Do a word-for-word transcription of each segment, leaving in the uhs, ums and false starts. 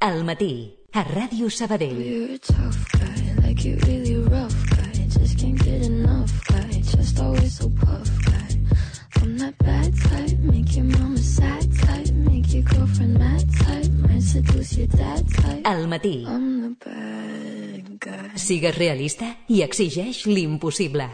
Al matí, a Ràdio Sabadell. You're a tough guy, like you're really rough guy. Just can't get enough guy, just always so puff guy. I'm that bad type, make your mama sad type, make your girlfriend mad type, might seduce your dad type. Al matí. I'm the bad guy. Sigues realista i exigeix l'impossible.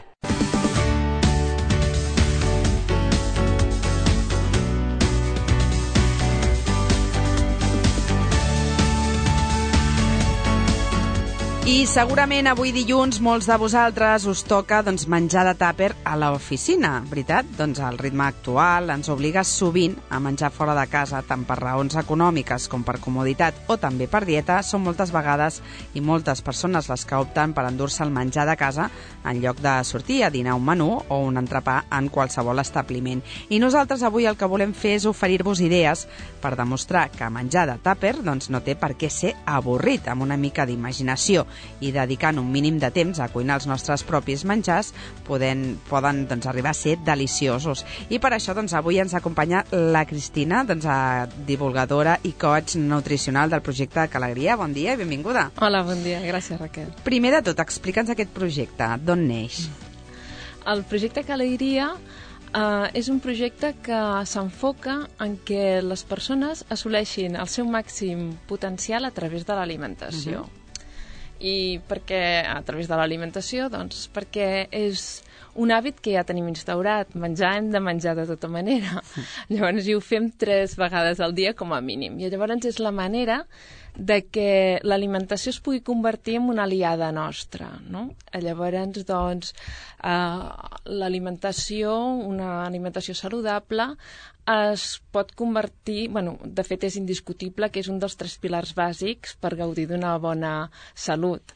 I segurament avui dilluns molts de vosaltres us toca doncs, menjar de tàper a l'oficina, veritat? Doncs el ritme actual ens obliga sovint a menjar fora de casa, tant per raons econòmiques com per comoditat o també per dieta. Són moltes vegades i moltes persones les que opten per endur-se el menjar de casa en lloc de sortir a dinar un menú o un entrepà en qualsevol establiment. I nosaltres avui el que volem fer és oferir-vos idees per demostrar que menjar de tàper doncs, no té per què ser avorrit, amb una mica d'imaginació i dedicant un mínim de temps a cuinar els nostres propis menjars poden, poden doncs, arribar a ser deliciosos. I per això doncs, avui ens acompanya la Cristina, doncs, divulgadora i coach nutricional del projecte Calegria. Bon dia i benvinguda. Hola, bon dia. Gràcies, Raquel. Primer de tot, explica'ns aquest projecte. D'on neix? El projecte Calegria uh, és un projecte que s'enfoca en què les persones assoleixin el seu màxim potencial a través de l'alimentació. Uh-huh. I per què a través de l'alimentació? Doncs perquè és un hàbit que ja tenim instaurat. Menjar hem de menjar de tota manera. Llavors hi ho fem tres vegades al dia com a mínim. I llavors és la manera de que l'alimentació es pugui convertir en una aliada nostra, no? Llavors, doncs, eh, l'alimentació, una alimentació saludable, es pot convertir, bueno, de fet és indiscutible que és un dels tres pilars bàsics per gaudir d'una bona salut,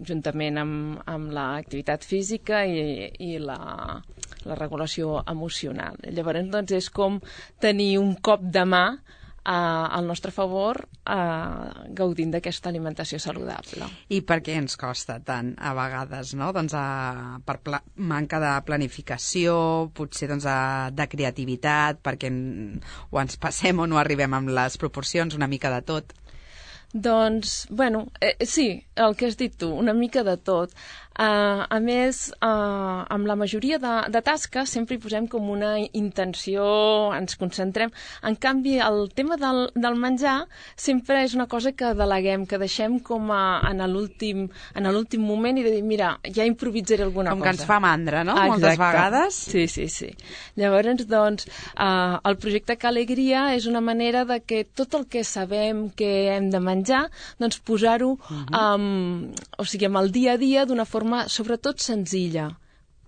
juntament amb, amb l'activitat física i, i la, la regulació emocional. Llavors, doncs, és com tenir un cop de mà Uh, al nostre favor uh, gaudint d'aquesta alimentació saludable. I per què ens costa tant a vegades, no? Doncs uh, per pla- manca de planificació, potser doncs, uh, de creativitat, perquè en, o ens passem o no arribem amb les proporcions, una mica de tot. Doncs, bueno, eh, sí, el que has dit tu, una mica de tot. Uh, a més, uh, amb la majoria de, de tasques sempre hi posem com una intenció, ens concentrem. En canvi, el tema del, del menjar sempre és una cosa que deleguem, que deixem com a, en l'últim en l'últim moment i de dir, mira, ja improvisaré alguna com cosa. Com que ens fa mandra, no? Exacte. Moltes vegades. Sí, sí, sí. Llavors, doncs, uh, el projecte Calegria és una manera de que tot el que sabem que hem de menjar, doncs posar-ho uh-huh. um, o sigui, amb el dia a dia d'una forma sobretot senzilla,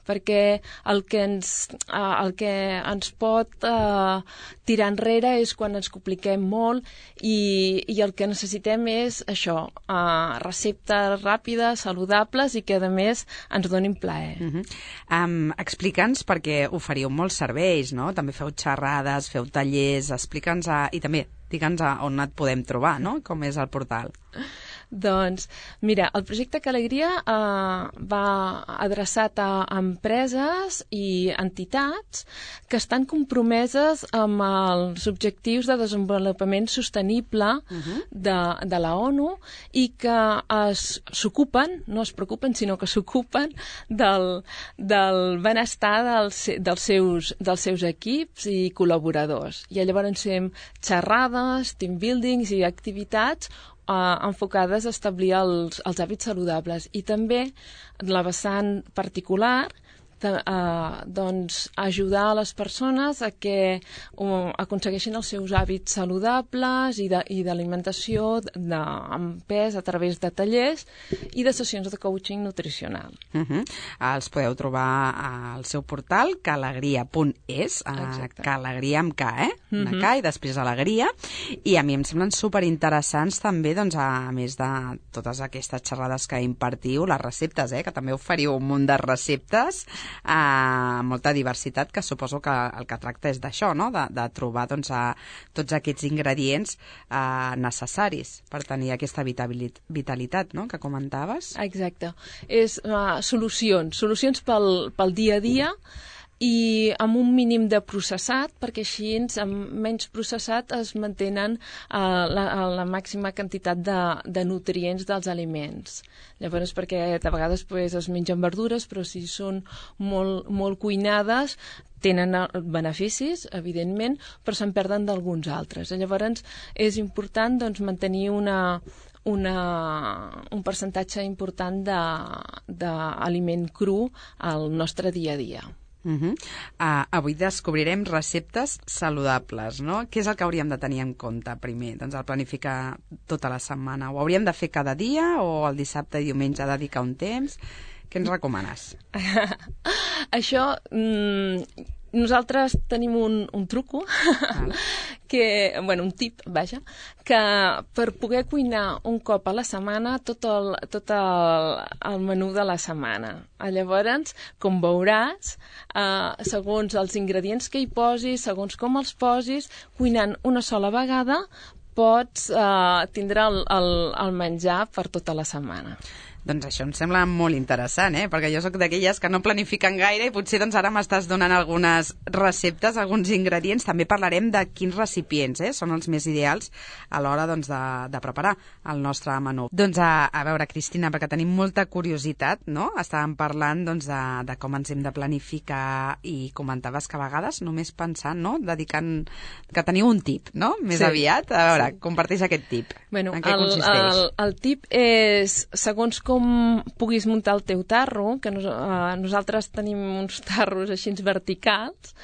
perquè el que ens, uh, el que ens pot uh, tirar enrere és quan ens compliquem molt i, i el que necessitem és això, uh, receptes ràpides, saludables i que a més ens donin plaer. Uh-huh. um, Explica'ns, perquè oferiu molts serveis, no? També feu xerrades, feu tallers, explica'ns a, i també digue'ns a on et podem trobar, no? Com és el portal. Doncs, mira, el projecte Calegria eh, va adreçat a empreses i entitats que estan compromeses amb els objectius de desenvolupament sostenible uh-huh. de, de la ONU i que s'ocupen, no es preocupen, sinó que s'ocupen del, del benestar dels, dels, seus, dels seus equips i col·laboradors. I llavors fem xerrades, team buildings i activitats Uh, enfocades a establir els, els hàbits saludables i també la vessant particular de, uh, doncs ajudar a les persones a que uh, aconsegueixin els seus hàbits saludables i d'alimentació amb pes a través de tallers i de sessions de coaching nutricional. Uh-huh. Els podeu trobar al seu portal calegria punt es, uh, Calegria amb K, eh? Una uh-huh. K i després alegria, i a mi em semblen superinteressants també, doncs, a més de totes aquestes xerrades que impartiu, les receptes, eh? Que també oferiu un munt de receptes, eh, molta diversitat, que suposo que el que tracta és d'això, no? De, de trobar doncs, a, tots aquests ingredients eh, necessaris per tenir aquesta vitalitat, no? Que comentaves. Exacte. És uh, solucions, solucions pel, pel dia a dia i amb un mínim de processat, perquè així amb menys processat es mantenen uh, la, la màxima quantitat de, de nutrients dels aliments. Llavors, perquè de vegades pues, es mengen verdures, però si són molt, molt cuinades, tenen beneficis, evidentment, però se'n perden d'alguns altres. Llavors, és important doncs, mantenir una, una, un percentatge important d'aliment cru al nostre dia a dia. Uh -huh. uh, avui descobrirem receptes saludables, no? Què és el que hauríem de tenir en compte primer? Doncs el planificar tota la setmana. Ho hauríem de fer cada dia o el dissabte i diumenge dedicar un temps? Què ens recomanes? Això, mmm, nosaltres tenim un, un truco, vale. que, bueno, un tip, vaja, que per poder cuinar un cop a la setmana tot el, tot el, el menú de la setmana. Llavors, com veuràs, eh, segons els ingredients que hi posis, segons com els posis, cuinant una sola vegada, pots eh, tindre el, el, el menjar per tota la setmana. Doncs això em sembla molt interessant, eh? Perquè jo sóc d'aquelles que no planifiquen gaire i potser doncs, ara m'estàs donant algunes receptes, alguns ingredients. També parlarem de quins recipients eh? són els més ideals a l'hora doncs, de, de preparar el nostre menú. Doncs a, a veure, Cristina, perquè tenim molta curiositat, no? Estàvem parlant doncs, de, de com ens hem de planificar i comentaves que a vegades només pensant, no? Dedicant... que teniu un tip, no? Més sí. aviat. A veure, sí. comparteix aquest tip. Bueno, en què el, consisteix? El, el tip és, segons com com puguis muntar el teu tarro, que nos, uh, nosaltres tenim uns tarros així verticals,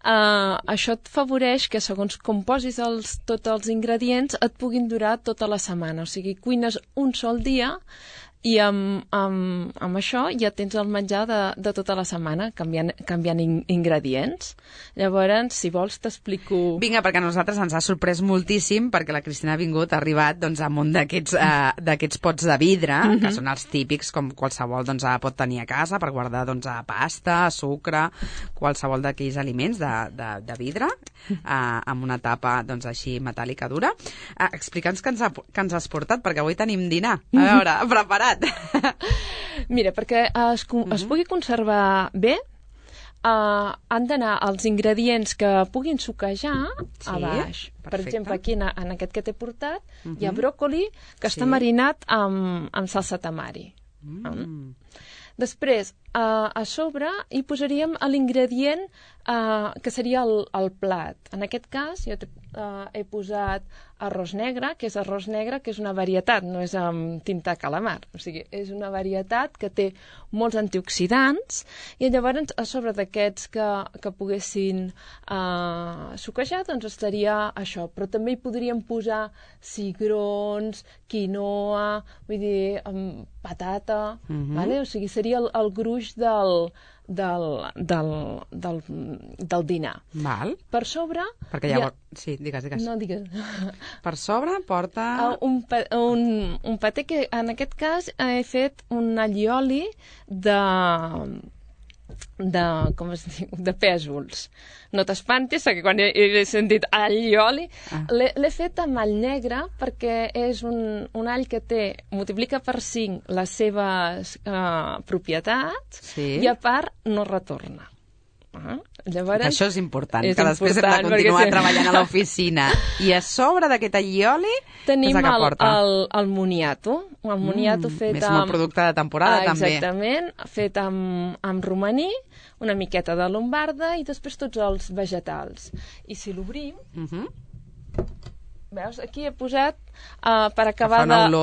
uh, això et favoreix que segons com posis els, tots els ingredients et puguin durar tota la setmana. O sigui, cuines un sol dia i amb, amb, amb això ja tens el menjar de, de tota la setmana, canviant, canviant in, ingredients. Llavors, si vols, t'explico... Vinga, perquè a nosaltres ens ha sorprès moltíssim, perquè la Cristina ha vingut, ha arribat doncs, amb un d'aquests uh, pots de vidre, mm -hmm. que són els típics, com qualsevol doncs, pot tenir a casa, per guardar doncs, pasta, sucre, qualsevol d'aquells aliments de, de, de vidre, uh, amb una tapa doncs, així metàl·lica dura. Uh, Explica'ns què ens, ha, què ens has portat, perquè avui tenim dinar. A veure, preparat. Mira, perquè es, uh-huh. es pugui conservar bé, uh, han d'anar els ingredients que puguin suquejar sí, a baix. Perfecte. Per exemple, aquí en, en aquest que t'he portat uh-huh. hi ha bròcoli que sí. està marinat amb, amb salsa tamari. Mm. Um. Després, uh, a sobre hi posaríem l'ingredient uh, que seria el, el plat. En aquest cas, jo uh, he posat arròs negre, que és arròs negre, que és una varietat, no és amb tinta calamar. O sigui, és una varietat que té molts antioxidants i llavors a sobre d'aquests que, que poguessin uh, suquejar, doncs estaria això. Però també hi podríem posar cigrons, quinoa, vull dir, um, patata, uh-huh. vale? O sigui, seria el, el gruix del, del, del, del, del dinar. Val. Per sobre... Perquè llavors... Ha... Sí, digues, digues. No, digues. Per sobre porta... Uh, un, un, un paté que en aquest cas he fet un allioli de... de, com es diu, de pèsols. No t'espantis, que quan he, he sentit allioli, ah. l'he fet amb all negre perquè és un, un all que té, multiplica per cinc les seves uh, propietats sí. i a part no retorna. Uh, llavors, això és important, és que després important, hem de continuar sí. treballant a l'oficina. I a sobre d'aquest allioli, tenim què és el que porta? El, el moniato. El moniato mm, fet és amb... molt producte de temporada, ah, també. Exactament, fet amb, amb romaní, una miqueta de lombarda i després tots els vegetals. I si l'obrim... Uh -huh. Veus, aquí he posat uh, per acabar de,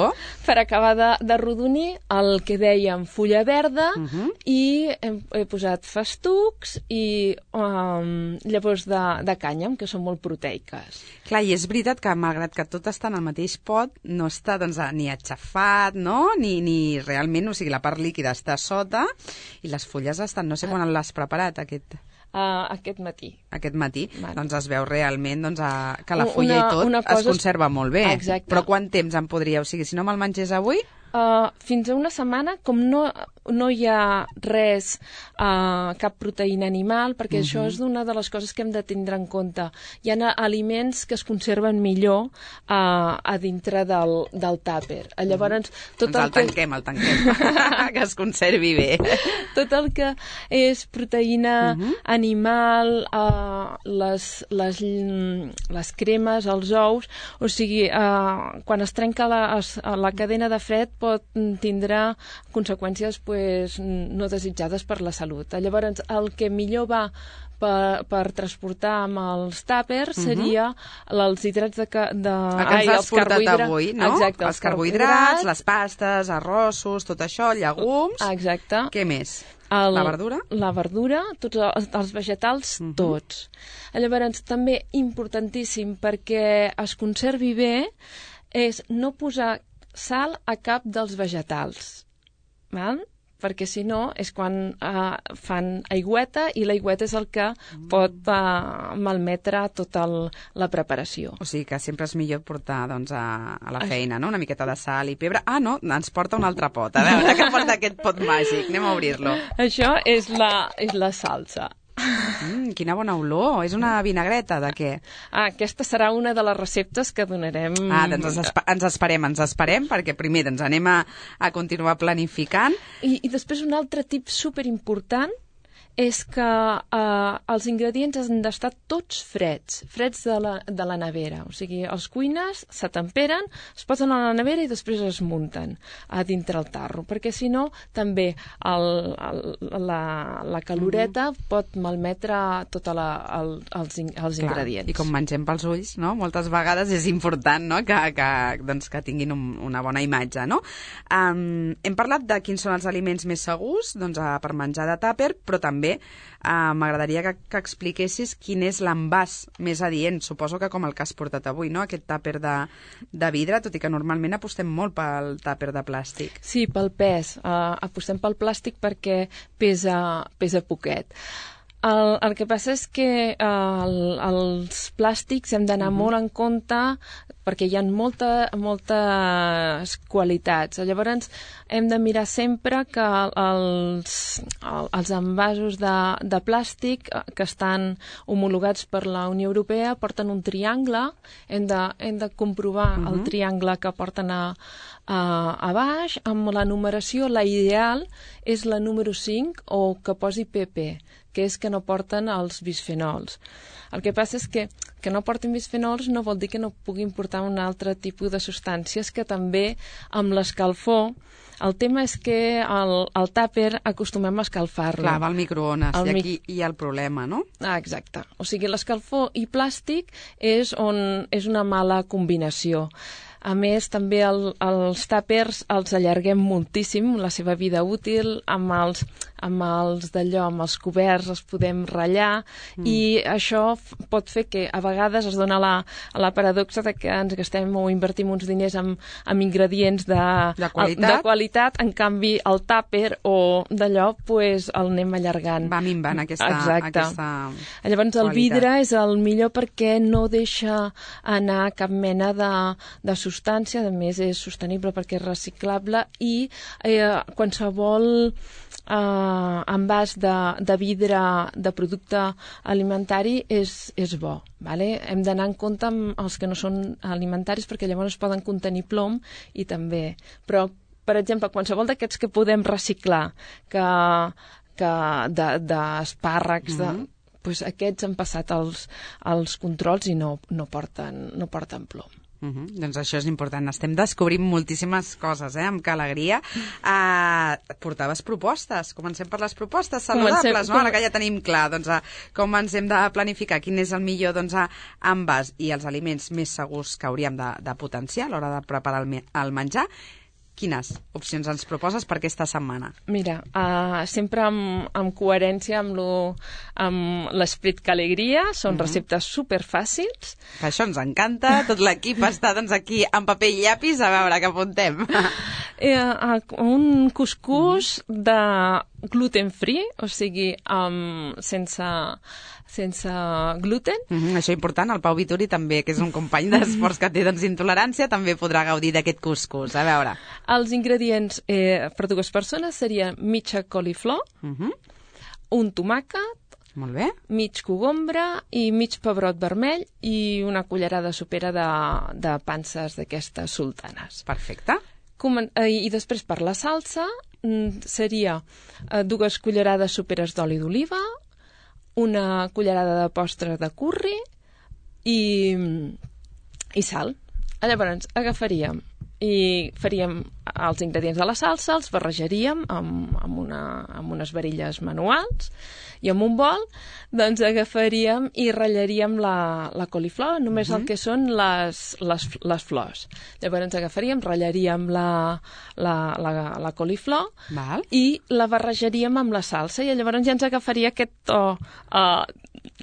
per acabar de, de rodonir el que dèiem fulla verda uh -huh. i he, he posat festucs i um, llavors de, de cànyam, que són molt proteiques. Clar, i és veritat que malgrat que tot està en el mateix pot, no està doncs, ni aixafat, no? Ni, ni realment, o sigui, la part líquida està sota i les fulles estan... No sé quan l'has preparat, aquest... Uh, aquest matí. Aquest matí, vale. Doncs es veu realment doncs, a, que la fulla una, i tot una cosa es conserva molt bé. Exacte. Però quant temps em podria... O sigui, si no me'l mengés avui... Uh, fins a una setmana, com no, no hi ha res, uh, cap proteïna animal, perquè uh-huh. això és una de les coses que hem de tindre en compte. Hi ha aliments que es conserven millor uh, a dintre del, del tàper. Llavors, tot doncs el, el tanquem, que... el tanquem, que es conservi bé. Tot el que és proteïna uh-huh. animal, uh, les, les, les cremes, els ous, o sigui, uh, quan es trenca la, es, la cadena de fred pot tindrà conseqüències pues, no desitjades per la salut. Llavors, el que millor va per, per transportar amb els tàpers seria uh-huh. els hidrats de... de el que ens ai, has portat carbohidra... avui, no? Exacte, els carbohidrats, les pastes, arrossos, tot això, llegums... Exacte. Què més? El, la verdura? La verdura, tots els, els vegetals, uh-huh. tots. Llavors, també importantíssim perquè es conservi bé és no posar sal a cap dels vegetals, val? Perquè si no és quan uh, fan aigüeta i l'aigüeta és el que mm. pot uh, malmetre tota el, la preparació. O sigui que sempre és millor portar doncs, a, a la feina, no? Una miqueta de sal i pebre. Ah, no, ens porta un altre pot. A veure, que porta aquest pot màgic. Anem a obrir-lo. Això és la, és la salsa. Mm, quina bona olor. És una vinagreta de què? Ah, aquesta serà una de les receptes que donarem... Ah, doncs ens, esp ens esperem, ens esperem, perquè primer doncs, anem a, a continuar planificant. I, I després un altre tip superimportant és que eh, els ingredients han d'estar tots freds, freds de la, de la nevera. O sigui, els cuines se temperen, es posen a la nevera i després es munten a dintre el tarro, perquè si no també el, el, la, la caloreta mm-hmm. pot malmetre tots els, els Clar, ingredients. I com mengem pels ulls, no? Moltes vegades és important, no? que, que, doncs, que tinguin un, una bona imatge. No? Um, hem parlat de quins són els aliments més segurs doncs, a, per menjar de tàper, però també Uh, m'agradaria que, que expliquessis quin és l'envàs més adient. Suposo que com el que has portat avui, no? Aquest tàper de, de vidre, tot i que normalment apostem molt pel tàper de plàstic. Sí, pel pes. Uh, apostem pel plàstic perquè pesa, pesa poquet. El, el que passa és que eh, el, els plàstics hem d'anar uh-huh. molt en compte perquè hi ha molta, moltes qualitats. Llavors hem de mirar sempre que els, els envasos de, de plàstic que estan homologats per la Unió Europea porten un triangle. Hem de, hem de comprovar uh-huh. el triangle que porten a, a, a baix. Amb la numeració, la ideal és la número cinc o que posi P P, que és que no porten els bisfenols. El que passa és que que no portin bisfenols no vol dir que no puguin portar un altre tipus de substàncies que també amb l'escalfor. El tema és que el, el tàper acostumem a escalfar-lo. Clar, va al microones, el i aquí mi... hi ha el problema, no? Ah, exacte. O sigui, l'escalfor i plàstic és, on, és una mala combinació. A més, també el, els tàpers els allarguem moltíssim, la seva vida útil, amb els, amb els d'allò, amb els coberts els podem ratllar, mm. i això pot fer que a vegades es dona la, la paradoxa de que ens gastem o invertim uns diners en, en ingredients de, de, qualitat. de qualitat, en canvi el tàper o d'allò pues, el anem allargant. Va minvant aquesta, aquesta Llavors el qualitat. vidre és el millor perquè no deixa anar cap mena de, de substància, a més és sostenible perquè és reciclable i eh, qualsevol eh, envàs de, de vidre de producte alimentari és, és bo. Vale? Hem d'anar en compte amb els que no són alimentaris perquè llavors poden contenir plom i també. Però, per exemple, qualsevol d'aquests que podem reciclar, que, que d'espàrrecs, de, de, pues aquests han passat els, els controls i no, no, porten, no porten plom. Uh-huh. Doncs això és important. Estem descobrint moltíssimes coses, eh? Amb que alegria. Uh, portaves propostes. Comencem per les propostes saludables, Comencem, no? Ara que ja tenim clar doncs, uh, com ens hem de planificar, quin és el millor doncs, uh, envàs i els aliments més segurs que hauríem de, de potenciar a l'hora de preparar el, el menjar. Quines opcions ens proposes per aquesta setmana? Mira, uh, sempre amb, amb coherència amb, lo, amb l'esperit que alegria, són uh-huh. receptes superfàcils. Això ens encanta, tot l'equip està doncs, aquí amb paper i llapis a veure què apuntem. Eh, un cuscús de gluten free, o sigui, um, sense, sense gluten. Mm-hmm, això important, el Pau Vituri també, que és un company d'esports que té doncs, intolerància, també podrà gaudir d'aquest cuscús. A veure. Els ingredients eh, per dues persones serien mitja coliflor, Mm-hmm. un tomàquet, Molt bé. mig cogombre i mig pebrot vermell i una cullerada sopera de, de panses d'aquestes sultanes. Perfecte. Comen eh, I després per la salsa mm, seria eh, dues cullerades soperes d'oli d'oliva, una cullerada de postre de curri i, i sal. Llavors agafaríem i faríem els ingredients de la salsa, els barrejaríem amb, amb, una, amb unes varilles manuals i amb un bol doncs agafaríem i ratllaríem la, la coliflor, només uh-huh. el que són les, les, les flors. Llavors agafaríem, ratllaríem la, la, la, la coliflor Val. i la barrejaríem amb la salsa i llavors ja ens agafaria aquest to uh,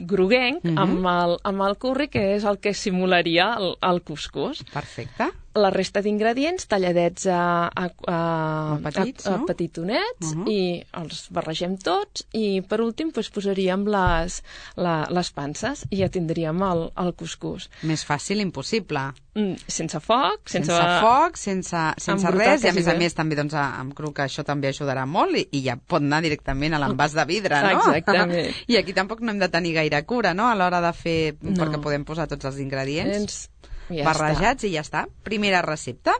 groguenc uh-huh. amb, el, amb el curri, que és el que simularia el, el cuscús. Perfecte. La resta d'ingredients talladets a, a, a, a, petits, a, a no? petitonets uh-huh. i els barregem tots i per últim pues, posaríem les, la, les panses i ja tindríem el, el cuscús. Més fàcil, impossible. Mm, sense foc, sense... Sense foc, sense, sense res, i a més a bé. més també doncs, amb cru, que això també ajudarà molt i, i ja pot anar directament a l'envàs de vidre, no? Exactament. I aquí tampoc no hem de tenir gaire cura, no?, a l'hora de fer, no. perquè podem posar tots els ingredients. Ens... Ja barrejats està. I ja està. Primera recepta.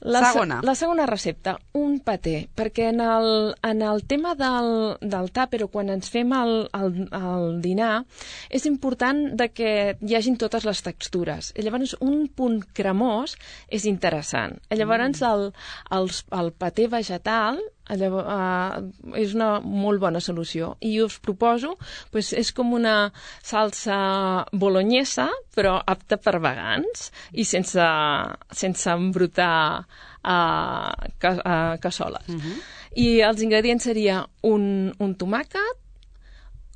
La segona. Se, la segona recepta, un paté, perquè en el, en el tema del, del tàper, o quan ens fem el, el, el dinar, és important de que hi hagin totes les textures. I llavors, un punt cremós és interessant. I llavors, el, el, el paté vegetal Llavors, uh, és una molt bona solució i us proposo, pues, és com una salsa bolognesa però apta per vegans i sense, sense embrutar uh, ca, uh, cassoles. Uh-huh. I els ingredients seria un, un tomàquet,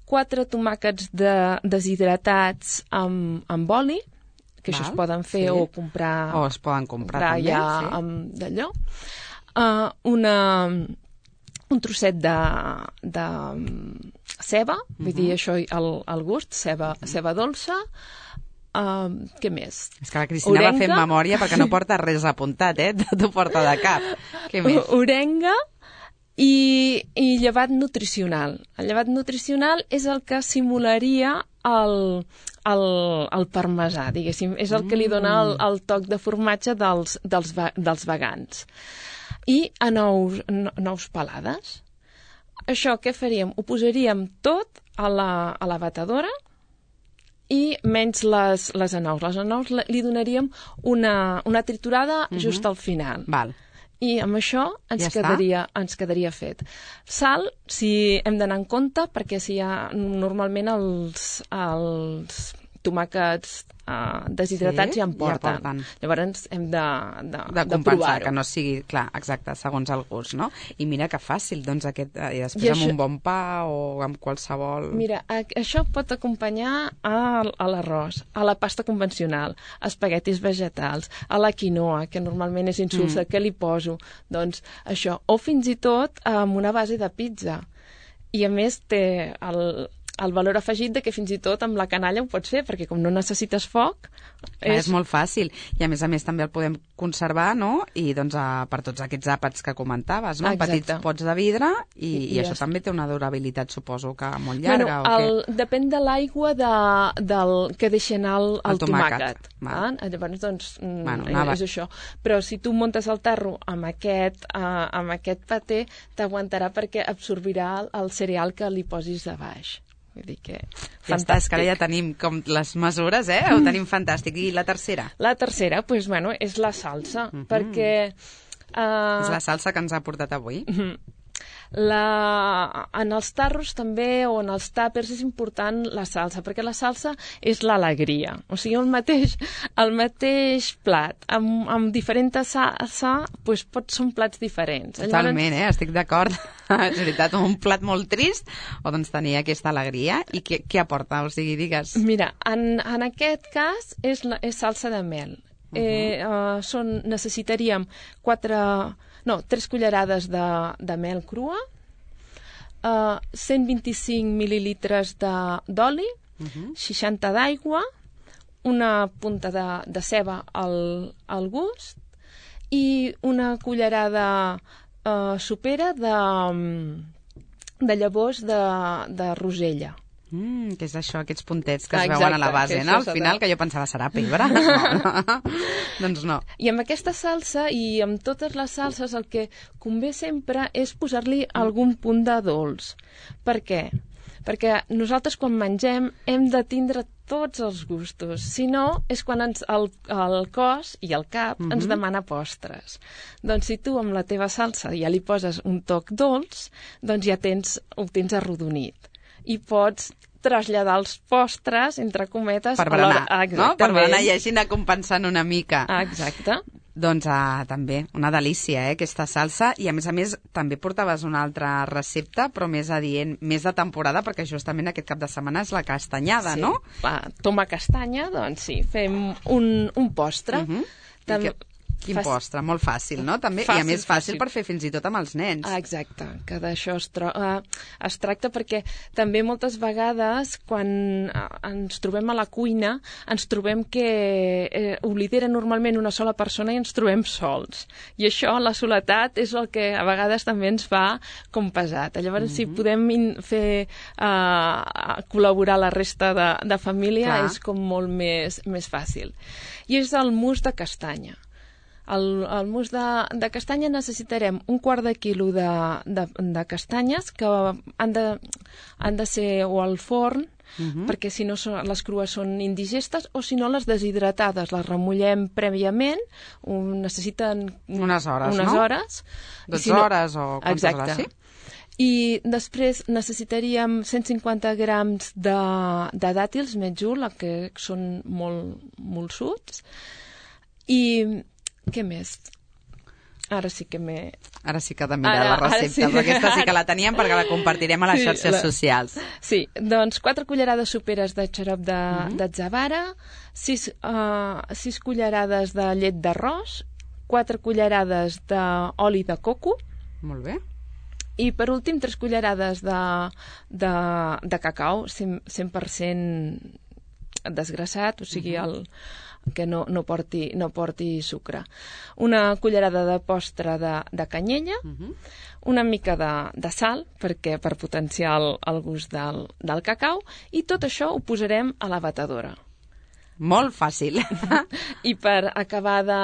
quatre tomàquets de, deshidratats amb, amb oli, que Val, això es poden fer sí. o comprar o es poden comprar, comprar també, ja sí. amb d'allò. Uh, una un trosset de, de ceba, uh-huh. vull dir, això al, al gust, ceba, uh-huh. ceba dolça. Uh, què més? És que la Cristina Orenga. Va fent memòria perquè no porta res apuntat, eh? T'ho porta de cap. Què més? Orenga i, i llevat nutricional. El llevat nutricional és el que simularia el, el, el parmesà, diguéssim. És el que li dona el, el toc de formatge dels, dels, dels vegans. I a nous, nous pelades. Això què faríem? Ho posaríem tot a la, a la batedora i menys les, les anous. Les anous li donaríem una, una triturada uh-huh. just al final. Val. I amb això ens, ja quedaria, ens quedaria fet. Sal, si hem d'anar en compte, perquè si hi ha normalment els, els tomàquets uh, deshidratats sí, ja en porten. Ja porten. Llavors hem de, de, de, de compensar, provar-ho. que no sigui, clar, exacte, segons el gust, no? I mira que fàcil, doncs, aquest, i després I amb això... un bon pa o amb qualsevol... Mira, a, això pot acompanyar a, a l'arròs, a la pasta convencional, a espaguetis vegetals, a la quinoa, que normalment és insulsa, mm. què li poso? Doncs això, o fins i tot amb una base de pizza. I a més té el... el valor afegit de que fins i tot amb la canalla ho pots fer, perquè com no necessites foc... És... és molt fàcil. I a més a més també el podem conservar, no? I doncs a, per tots aquests àpats que comentaves, no? Exacte. Petits pots de vidre i, I, i això ja també té una durabilitat, suposo, que molt llarga. Bueno, el, o què? Depèn de l'aigua de, del que deixa anar el, el, el tomàquet. tomàquet ah? Llavors, doncs, bueno, anava... és això. Però si tu muntes el tarro amb aquest, uh, amb aquest paté, t'aguantarà perquè absorbirà el, el cereal que li posis de baix. Vull dir que... Ja està, és que ara ja tenim com les mesures, eh? Ho tenim fantàstic. I la tercera? La tercera, doncs, pues, bueno, és la salsa, uh-huh. perquè... Uh... És la salsa que ens ha portat avui. Uh-huh. La... En els tarros també, o en els tàpers, és important la salsa, perquè la salsa és l'alegria. O sigui, el mateix, el mateix plat, amb, amb diferent salsa, doncs pot ser plats diferents. Totalment, Llavors... eh? Estic d'acord. És veritat, un plat molt trist, o doncs tenir aquesta alegria. I què, què aporta? O sigui, digues... Mira, en, en aquest cas és, la, és salsa de mel. eh, uh, són, necessitaríem quatre, no, tres cullerades de, de mel crua, uh, cent vint-i-cinc mil·lilitres d'oli, uh-huh. seixanta d'aigua, una punta de, de ceba al, al gust i una cullerada uh, sopera de, de llavors de, de rosella. Mm, què és això, aquests puntets que es Exacte, veuen a la base, no? Al final, de... que jo pensava, serà pebre? No, no. Doncs no. I amb aquesta salsa i amb totes les salses el que convé sempre és posar-li algun punt de dolç. Per què? Perquè nosaltres quan mengem hem de tindre tots els gustos. Si no, és quan ens, el, el cos i el cap mm-hmm. ens demana postres. Doncs si tu amb la teva salsa ja li poses un toc dolç, doncs ja tens, ho tens arrodonit. I pots traslladar els postres, entre cometes... Per berenar, no? Per berenar i així anar compensant una mica. Exacte. Doncs ah, també, una delícia, eh, aquesta salsa. I a més a més, també portaves una altra recepta, però més adient, més de temporada, perquè justament aquest cap de setmana és la castanyada, sí. no? Va, toma castanya, doncs sí, fem un, un postre. Uh-huh. Tam- Quin Fàcil. postre, molt fàcil, no? També, Fàcil, I a més fàcil fàcil. per fer fins i tot amb els nens. Ah, exacte, que d'això es, tro- uh, es tracta perquè també moltes vegades quan uh, ens trobem a la cuina ens trobem que eh, ho lidera normalment una sola persona i ens trobem sols. I això, la soledat, és el que a vegades també ens fa com pesat. Llavors, mm-hmm. si podem in- fer uh, col·laborar la resta de, de família, Clar. és com molt més, més fàcil. I és el mousse de castanya. El, el mousse de, de castanya necessitarem un quart de quilo de, de, de castanyes que han de, han de ser o al forn, uh-huh. perquè si no són, les crues són indigestes, o si no les deshidratades, les remullem prèviament, um, necessiten unes hores, unes no? hores. dotze si no, hores o quantes exacte. hores, sí? I després necessitaríem cent cinquanta grams de, de dàtils metjul, que són molt, molt suts, i què més? Ara sí que m'he... Ara sí que he de mirar Ara- la ara recepta, sí. però aquesta sí que la teníem perquè la compartirem a les Sí, xarxes la- socials. Sí, doncs quatre cullerades soperes de xarop de, Mhm. d'atzavara, sis, uh, sis cullerades de llet d'arròs, quatre cullerades d'oli de coco, Molt bé. i per últim tres cullerades de, de, de cacau cent, cent per cent desgrassat, o sigui, el, que no, no, porti, no porti sucre. Una cullerada de postre de, de canyella, Uh-huh. una mica de, de sal, perquè per potenciar el, el gust del, del cacau, i tot això ho posarem a la batedora. Molt fàcil. I per acabar de...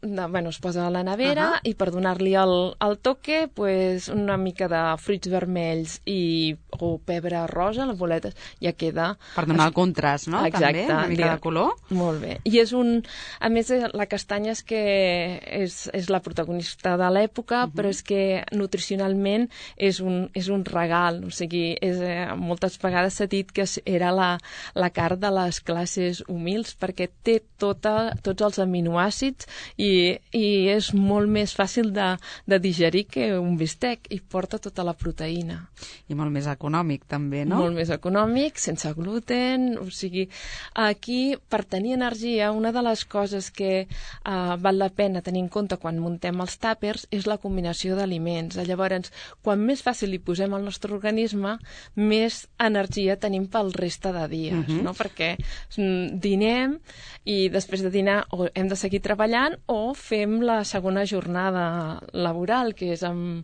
de bueno, es posa a la nevera, Uh-huh. i per donar-li el, el toque, pues, una mica de fruits vermells i, o pebre rosa, les boletes, ja queda... Per donar el contrast, no? Exacte. També, una mica de color. Molt bé. I és un... A més, la castanya és que és, és la protagonista de l'època, uh-huh. però és que nutricionalment és un, és un regal. O sigui, és, eh, moltes vegades s'ha dit que era la, la carn de les classes humils, perquè té tota, tots els aminoàcids i, i és molt més fàcil de, de digerir que un bistec, i porta tota la proteïna. I molt més econòmic, també, no? Molt més econòmic, sense gluten, o sigui, aquí, per tenir energia, una de les coses que uh, val la pena tenir en compte quan muntem els tàpers és la combinació d'aliments. Llavors, quan més fàcil li posem al nostre organisme, més energia tenim pel reste de dies, Mhm. no? Perquè mm, dinem i després de dinar o hem de seguir treballant o fem la segona jornada laboral, que és amb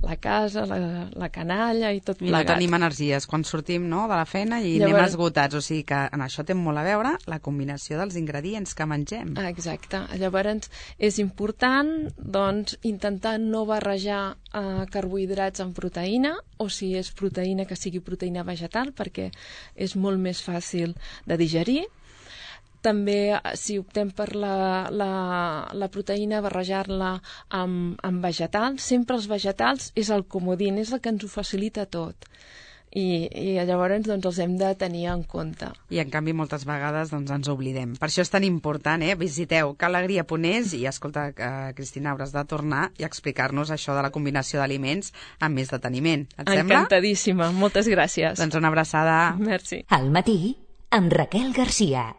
la casa, la, la canalla i tot I no plegat. tenim energies quan sortim, no?, de la feina i Llavors- anem esgotats. O sigui que en això té molt a veure la combinació dels ingredients que mengem. Ah, exacte. Llavors és important, doncs, intentar no barrejar eh, carbohidrats amb proteïna, o si és proteïna, que sigui proteïna vegetal, perquè és molt més fàcil de digerir. També, si optem per la, la, la proteïna, barrejar-la amb, amb vegetals. Sempre els vegetals és el comodín, és el que ens ho facilita tot. I, i llavors doncs, els hem de tenir en compte. I en canvi moltes vegades doncs, ens oblidem. Per això és tan important, eh? Visiteu calegria punt es i, escolta, eh, Cristina, hauràs de tornar i explicar-nos això de la combinació d'aliments amb més deteniment. Et sembla? Encantadíssima. Moltes gràcies. Doncs una abraçada. Merci. Al matí, amb Raquel Garcia.